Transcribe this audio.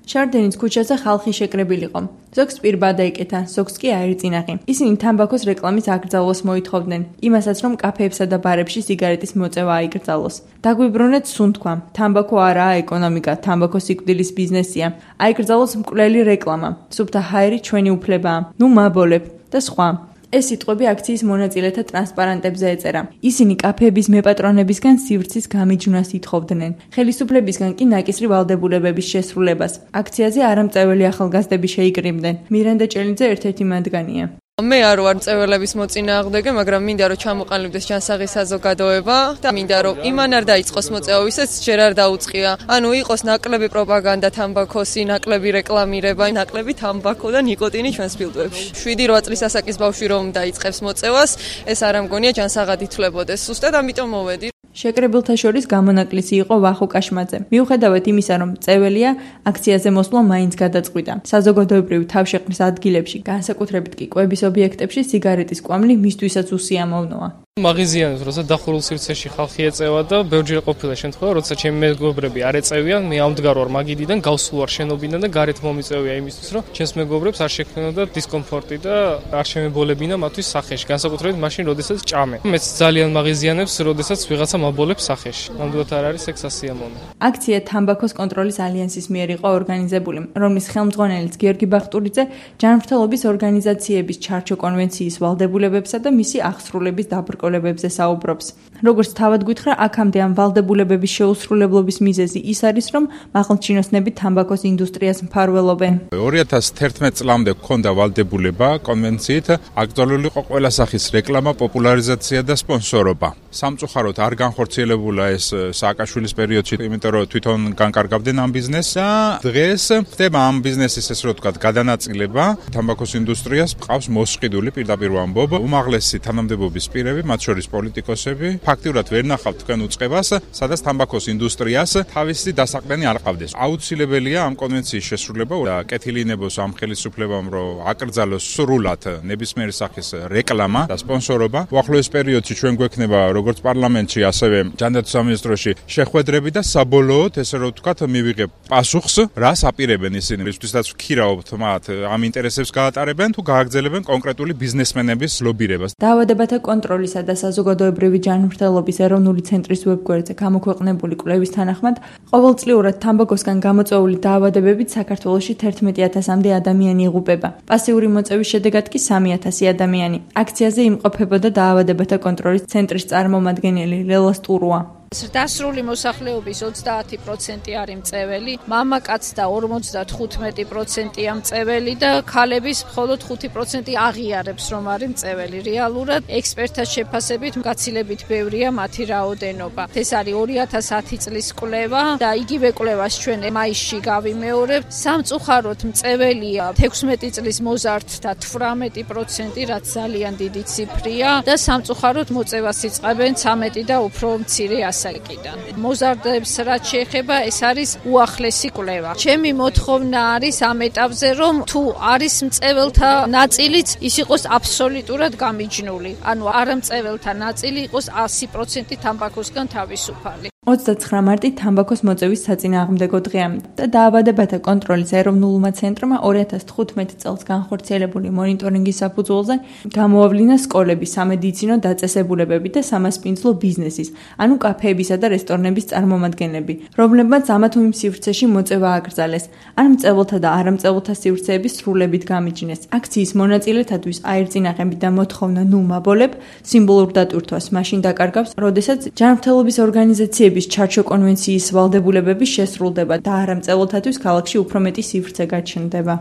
შარდენის ქუჩაზე ხალხი შეკრებილიყო. ზოგს პირბა დაიკეთა, ზოგს კი აერწინაღი. ისინი თამბაქოს რეკლამის აკრძალვას მოითხოვდნენ, იმასაც რომ კაფეებსა და ბარებში სიგარეტის მოწევა აიკრძალოს. დაგვიბრუნეთ სუნთქვა. თამბაქო არაა ეკონომიკა, თამბაქო სიკვდილის ბიზნესია. აიკრძალოს მკვლელი რეკლამა. სუფთა ჰაერი ჩვენი უფლებაა. ნუ მაბოლებ და სხვა. ეს სიტყვები აქციის მონაწილეთა ტრანსპარანტებზე ეწერა. ისინი კაფეების მეპატრონებისგან სივრცის გამიჯვნას ითხოვდნენ. ხელისუფლებისგან კი ნაკისრი ვალდებულებების შესრულებას. აქციაზე არამწეველი ახალგაზრდები შეიკრიბნენ. მირენდა ჭელიძე ერთ-ერთი მათგანია. მე არ ვარ მწველების მოწინააღმდეგე, მაგრამ მინდა რომ ჩამოყალიბდეს ჯანსაღი საზოგადოება და მინდა რომ იმან არ დაიწყოს მოწევა, ვისაც ჯერ არ დაუწყია. ანუ იყოს ნაკლები პროპაგანდა თამბაქოსი, ნაკლები რეკლამირება, ნაკლები თამბაქო და ნიკოტინი ჩვენს ფილტვებში. 7-8 წლის ასაკის ბავშვი რომ დაიწყებს მოწევას, ეს არ ამგონია ჯანსაღად ითვლებოდეს. ზუსტად ამიტომ მოვედი. შეკრებილთა შორის გამონაკლისი იყო ვახო კაშმაძე. მიუხედავად იმისა, რომ მწეველია, აქციაზე მოსვლა მაინც გადაწყვიტა. საზოგადოებრივი თავშეყრის ადგილებში, განსაკუთრებით კი კვების ობიექტებში სიგარეტის კვამლი მისთვისაც უსიამოვნოა. მაღიზიანებს, როცა დახურულ სივრცეში ხალხი ეწევა და ბევრჯერ ყოფილა შემთხვევა, როცა ჩემი მეგობრები არ ეწევიან, მე ამდგარ ვარ მაგიდიდან, გავსულ ვარ შენობიდან და გარეთ მომიწევია იმისთვის, რომ ჩემს მეგობრებს არ შექმნოდა დისკომფორტი და არ შემებოლებინა მათთვის სახეში, განსაკუთრებით მაშინ, როდესაც ჭამე. მეც ძალიან მაღიზიანებს, როდესაც ვიღაცა მაბოლებს სახეში. ნამდვილად არ არის ეს სასიამოვნო. აქცია თამბაქოს კონტროლის ალიანსის მიერ იყო ორგანიზებული, რომლის ხელმძღვანელიც გიორგი ბახტურიძე ჯანმრთელობის ორგანიზაციების ჩარჩო კონვენციის ვალდებულებებსა და მისი აღსრულების დაბრკოლებებზე საუბრობს. როგორც თავად გითხრა, აქამდე ამ ვალდებულებების შეუსრულებლობის მიზეზი ის არის, რომ მაღალჩინოსნები თამბაქოს ინდუსტრიას მფარველობენ. 2011 წლამდე ჰქონდა ვალდებულება კონვენციით აკრძალული იყო ყველა სახის რეკლამა, პოპულარიზაცია და სპონსორობა. სამწუხაროდ არ განხორციელებულა ეს სააკაშვილის პერიოდში, იმიტომ რომ თვითონ განკარგავდნენ ამ ბიზნესს და დღეს ხდება ამ ბიზნესის ეს რო ვთქვათ გადანაწილება. თამბაქოს ინდუსტრიას ყავს მოსყიდული პირდაპირ ვამბობ, უმაღლესი თანამდებობის პირები, მათ შორის პოლიტიკოსები, ფაქტიურად ვერ ნახავთ თქვენ უწყებას, სადაც თამბაქოს ინდუსტრიას თავისი დასაყრდენი არ ყავდეს. აუცილებელია ამ კონვენციის შესრულება და კეთილინებოს ამ ხელისუფლებამ, რომ აკრძალოს სრულად ნებისმიერი სახის რეკლამა და სპონსორობა. უახლოეს პერიოდში ჩვენ გვექნება როგორც პარლამენტში, ასევე ჯანდაცვის სამინისტროში შეხვედრები და საბოლოოდ ესე რომ ვთქვათ, მივიღებ პასუხს, რას აპირებენ ისინი, რისთვისაც ვქირავთ მათ ამ ინტერესებს გაატარებენ თუ გააგრძელებენ კონკრეტული ბიზნესმენების ლობირებას. დაავადებათა კონტროლისა და საზოგადოებრივი ჯანმრთელობის ეროვნული ცენტრის ვებგვერდზე გამოქვეყნებული კვლევის თანახმად, ყოველწლიურად თამბაქოსგან გამოწვეული დაავადებებით საქართველოში 11,000-მდე ადამიანი იღუპება. პასიური მოწევის შედეგად კი 3,000 ადამიანი. აქციაზე იმყოფებოდა დაავადებათა კონტროლის ცენტრის წარმომადგენელი ლელა სტურუა. დასრული მოსახლეობის 30% არის მწეველი, მამაკაც და 55%-ია მწეველი და ქალების მხოლოდ 5% აღიარებს, რომ არის მწეველი. რეალურად ექსპერტთა შეფასებით გაცილებით ბევრია მათი რაოდენობა. ეს არის 2010 წლის კვლევა და იგივე კვლევას ჩვენ მაისში გავიმეორებთ. სამწუხაროდ მწეველია 16 წლის მოზარდთა 18%, რაც ძალიან დიდი ციფრია და სამწუხაროდ მოწევას იწყებენ 13 და უფრო მცირე ასაკიდან. მოზარდებს რაც შეეხება, ეს არის უახლესი კვლევა. ჩემი მოთხოვნა არის ამ ეტაპზე, რომ თუ არის მწეველთა ნაწილიც, ის იყოს აბსოლუტურად გამიჯნული. ანუ არამწეველთა ნაწილი იყოს 100% თამბაქოსგან თავისუფალი. 29 მარტი თამბაქოს მოწევის საწინააღმდეგო დღეა და დაავადებათა კონტროლის ეროვნულმა ცენტრმა 2015 წელს განხორციელებული მონიტორინგის საფუძველზე გამოავლინა სკოლების, სამედიცინო დაწესებულებები და სამასპინძლო ბიზნესის, ანუ კაფეებისა და რესტორნების წარმომადგენლები, რომლებმაც ამა თუ იმ სივრცეში მოწევა აკრძალეს, ან მწეველთა და არამწეველთა სივრცეების სრულებით გამიჯნეს. აქციის მონაწილეთათვის აერწინაღები და მოთხოვნა ნუ მაბოლებ სიმბოლურ დატვირთვას მაშინ დაკარგავს, როდესაც ჯანმრთელობის ორგანიზაციები ჩარჩო კონვენციის ვალდებულებების შესრულდება და არამწეველთათვის ქალაქში უფრო მეტი სივრცე გაჩნდება.